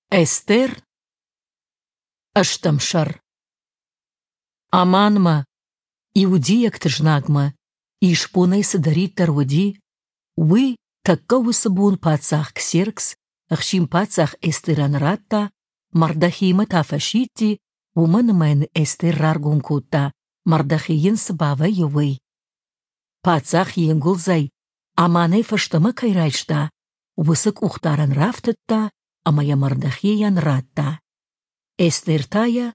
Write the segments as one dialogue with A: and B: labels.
A: Эстер, ӕстӕм сӕр. Аманмӕ, иудейӕгты знагмӕ, исбонӕй цыдӕриддӕр уыди, уый тӕккӕ уыцы бон паддзах Ксеркс ӕхсин-паддзах Эстерӕн радта, Мардохеймӕ та фӕсидти, уымӕн ӕмӕ йын Эстер раргом кодта, Мардохей йын цы бавӕййы, уый. Паддзах йе нгуылдзӕй Аманӕй фӕстӕмӕ кӕй райста, уыцы къухдарӕн рафтыдта ӕмӕ йӕ Мардохейӕн радта. Эстер та йӕ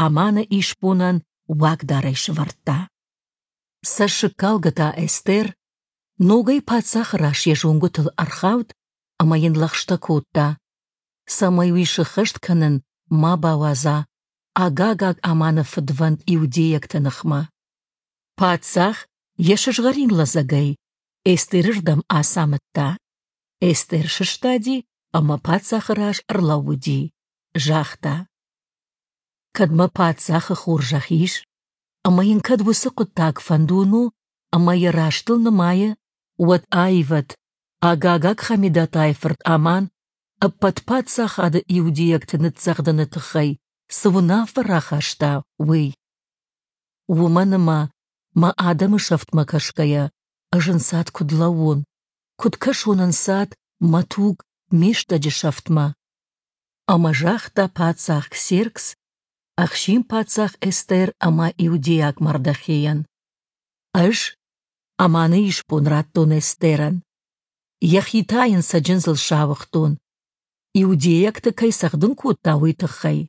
A: Аманы исбонӕн уагдарӕй сӕвӕрдта. Цӕссыгкалгӕ та Эстер ногӕй паддзахы раз йӕ зонгуытыл ӕрхауд ӕмӕ йын лӕгъстӕ кодта, цӕмӕй уый сыххӕст кӕнын ма бауадза Агагаг Аманы фыдвӕнд иудейӕгты ныхмӕ. Паддзах йӕ сызгъӕрин лӕдзӕгӕй Эстеры рдӕм ацамыдта. Эстер сыстади ӕмӕ паддзахы раз ӕрлӕууыди, загъта: «Кӕд мӕ паддзахы хорзӕх ис, ӕмӕ йын кӕд уыцы хъуыддаг фӕндон у ӕмӕ йӕ рӕстыл нымайы, уӕд аивӕд Агагаг Хамедатайы фырт Аман ӕппӕт паддзахады иудейӕгты ныццӕгъдыны тыххӕй цы уынаффӕ рахаста, уый. Уымӕн ӕмӕ мӕ адӕмы сӕфтмӕ кӕсгӕйӕ ӕз ӕнцад куыд лӕууон, куыд кӕсон ӕнцад мӕ туг, ме стӕджы сӕфтмӕ?» Ӕмӕ загъта паддзах Ксеркс, ӕхсин-паддзах Эстер ӕмӕ иудейаг Мардохейӕн: «Ӕз Аманы исбон радтон Эстерӕн, йӕхи та йын цӕджындзыл сауыгътон, иудейӕгты кӕй цӕгъдын кодта, уый тыххӕй.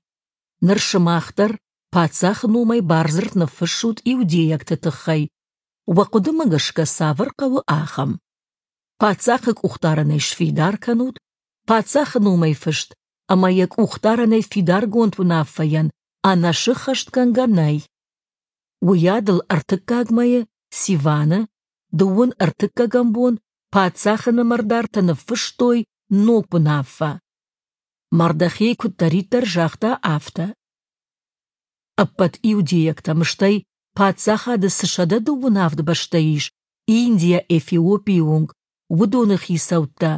A: Ныр сымах дӕр паддзахы номӕй бардзырд ныффыссут иудейӕгты тыххӕй, уӕ хъуыдымӕ гӕсгӕ цавӕр хъӕуы, ахӕм. Паддзахы къухдарӕнӕй сфидар кӕнут, паддзахы номӕй фыст ӕмӕ йӕ къухдарӕнӕй фидаргонд уынаффӕйӕн ӕнӕсыххӕстгӕнгӕ нӕй. Уыйадыл ӕртыккаг мӕйы Сиваны, дыууын ӕртыккӕгӕм бон паддзахы нымӕрдартӕ ныффыстой ног уынаффӕ. Мардохей куыддӕриддӕр загъта, афтӕ. Ӕппӕт иудейӕгтӕм, стӕй паддзахады цы 127 бӕстӕ ис, Индийӕ Эфиопийы онг, уыдоны хицӕуттӕ,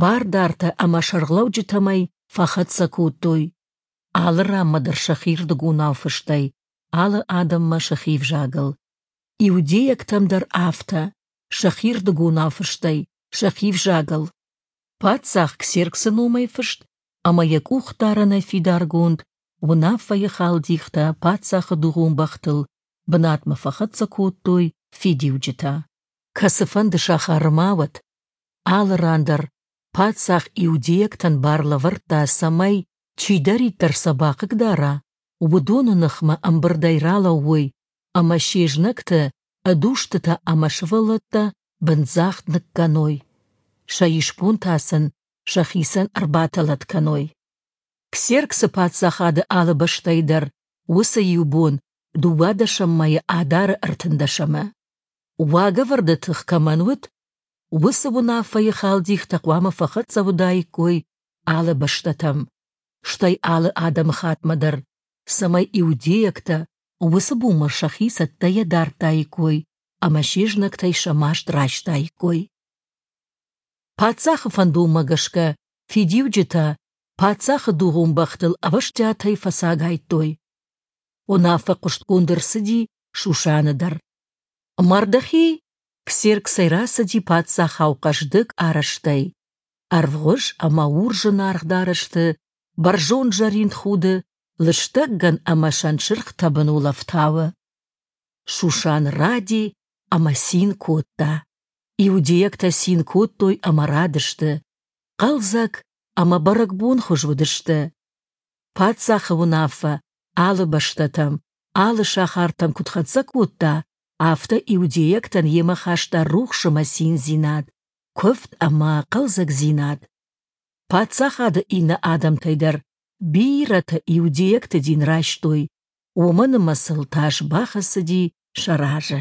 A: бардартӕ ӕмӕ сӕргълӕуджытӕм ӕй фӕхӕццӕ кодтой. Алы ранмӕ дӕр сӕхирдыгонау фыстӕй, алы адӕммӕ сӕхи ӕвзагыл. Иудейӕгтӕм дӕр афтӕ, сӕхирдыгонау фыстӕй, сӕхи ӕвзагыл. Паддзах Ксерксы номӕй фыст ӕмӕ йӕ къухдарӕнӕй фидаргонд уынаффӕйы халдихтӕ паддзахы дугъон бӕхтыл бынатмӕ фӕхӕццӕ кодтой фидиуджытӕ. Кӕцыфӕнды сахары ма уӕд, алы ран дӕр паддзах иудейӕгтӕн бар лӕвӕрдта, цӕмӕй, чидӕриддӕр сӕ бахъыгдара, уыдоны ныхмӕ ӕмбырдӕй ралӕууой ӕмӕ се знӕгты ӕд устытӕ ӕмӕ сывӕллӕттӕ бындзагъд ныккӕной, сӕ исбон та сын сӕхицӕн ӕрбатӕлӕт кӕной. Ксерксы паддзахады алы бӕстӕйы дӕр уыцы иу бон, дыууадӕсӕм мӕйы Адары ӕртындӕсӕмы, уагӕвӕрды тых кӕмӕн уыд, уыцы уынаффӕйы халдихтӕ хъуамӕ фӕхӕццӕ уыдаиккой алы бӕстӕтӕм, стӕй алы адӕмыхатмӕ дӕр, цӕмӕй иудейӕгтӕ уыцы бонмӕ сӕхи цӕттӕйӕ дардтаиккой ӕмӕ се знӕгтӕй сӕ маст райстаиккой. Паддзахы фӕндонмӕ гӕсгӕ фидиуджытӕ паддзахы дугъон бӕхтыл ӕвӕстиатӕй фӕцагайдтой. Уынаффӕ хъуыстгонд ӕрцыди Шушаны дӕр. Мардохей Ксерксӕй рацыди паддзахау хъӕздыг арӕзтӕй, ӕрвгъуыз ӕмӕ урс зынаргъ дарӕсты, бӕрзонд зӕринд худы, лыстӕг гӕн ӕмӕ сӕнтсырх тӕбын улӕфтауы. Шушан ради ӕмӕ цин кодта. Иудейӕгтӕ цин кодтой ӕмӕ радысты, хъӕлдзӕг ӕмӕ бӕрӕгбонхуыз уыдысты. Паддзахы уынаффӕ алы бӕстӕтӕм, алы сахартӕм куыд хӕццӕ кодта, афтӕ иудейӕгтӕн йемӕ хаста рухс ӕмӕ циндзинад, куывд ӕмӕ хъӕлдзӕгдзинад. Паддзахады иннӕ адӕмтӕй дӕр бирӕтӕ иудейӕгты дин райстой, уымӕн ӕмӕ сыл тас бахӕцыди сӕ разы.